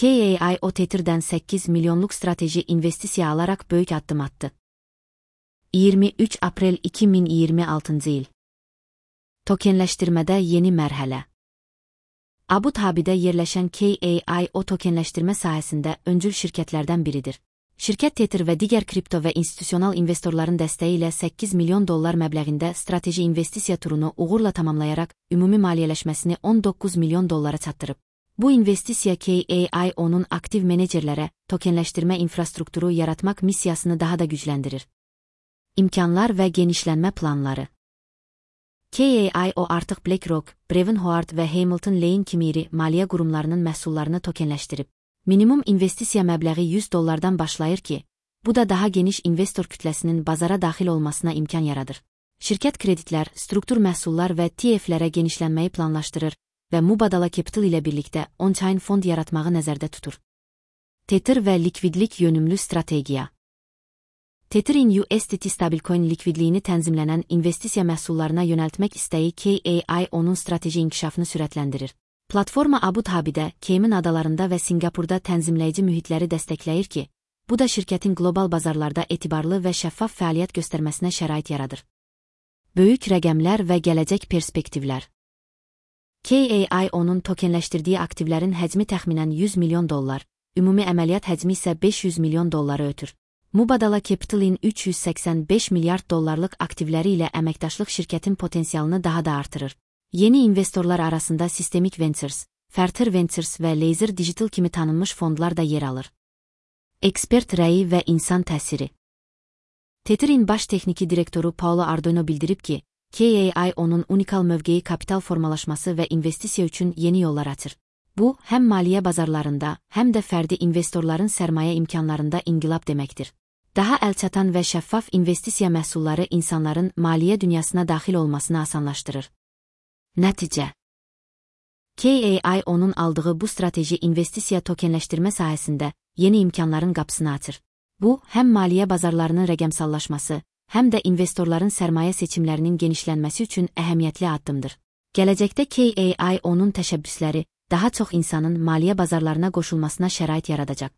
KAIO Tether'den 8 milyonluk strateji investisiya alarak büyük addım attı. 23 Aprel 2026 yıl. Tokenleştirmede yeni mərhələ. Abu Dhabi'de yerleşen KAIO tokenleştirme sahəsində öncül şirketlerden biridir. Şirket Tether ve diğer kripto ve institusyonal investorların desteğiyle 8 milyon dolar məbləğində strateji investisiya turunu uğurla tamamlayarak ümumi maliyyələşməsini 19 milyon dolara çatdırıb. Bu investisiya KAIO'nun aktiv menecerlere tokenleştirme infrastrukturu yaratmak misyasını daha da gücləndirir. İmkanlar ve genişlenme planları. KAIO artıq BlackRock, Brevan-Howard ve Hamilton Lane kimi iri maliyyə qurumlarının məhsullarını tokenləşdirib. Minimum investisiya məbləği 100 dollardan başlayır ki, bu da daha geniş investor kütləsinin bazara daxil olmasına imkan yaradır. Şirket kreditlər, struktur məhsullar və TF'lərə genişlənməyi planlaşdırır və Mubadala Capital ilə birlikdə on-chain fond yaratmağı nəzərdə tutur. Tether və likvidlik yönümlü strategiya. Tether'in USDT stablecoin likvidliyini tənzimlənən investisiya məhsullarına yönəltmək istəyi KAIO'nun strateji inkişafını sürətləndirir. Platforma Abu Dhabi'de, Cayman adalarında ve Singapur'da tənzimləyici mühitləri dəstəkləyir ki, bu da şirketin global bazarlarda etibarlı ve şəffaf fəaliyyət göstərməsinə şərait yaradır. Böyük rəqəmlər və gələcək perspektivlər. KAIO'nun tokenləşdirdiyi aktivlərin həcmi təxminən 100 milyon dollar, ümumi əməliyyat həcmi isə 500 milyon dolları ötür. Mubadala Capital'in 385 milyard dollarlıq aktivləri ilə əməkdaşlıq şirketin potensialını daha da artırır. Yeni investorlar arasında Systemic Ventures, Ferter Ventures ve Laser Digital kimi tanınmış fondlar da yer alır. Ekspert rəyi və insan təsiri. Tether'in baş texniki direktoru Paulo Ardoino bildirib ki, KAIO'nun unikal mövqeyi kapital formalaşması ve investisiya üçün yeni yollar açır. Bu, həm maliyyə bazarlarında, həm də fərdi investorların sərmayə imkanlarında inqilab deməkdir. Daha əlçatan və şəffaf investisiya məhsulları insanların maliyyə dünyasına daxil olmasını asanlaşdırır. Nəticə. KAIO'nun aldığı bu strateji investisiya tokenləşdirmə sahəsində yeni imkanların qapısını açır. Bu, həm maliyyə bazarlarının rəqəmsallaşması, həm də investorların sərmayə seçimlərinin genişlənməsi üçün əhəmiyyətli addımdır. Gələcəkdə KAIO'nun təşəbbüsləri daha çox insanın maliyyə bazarlarına qoşulmasına şərait yaradacaq.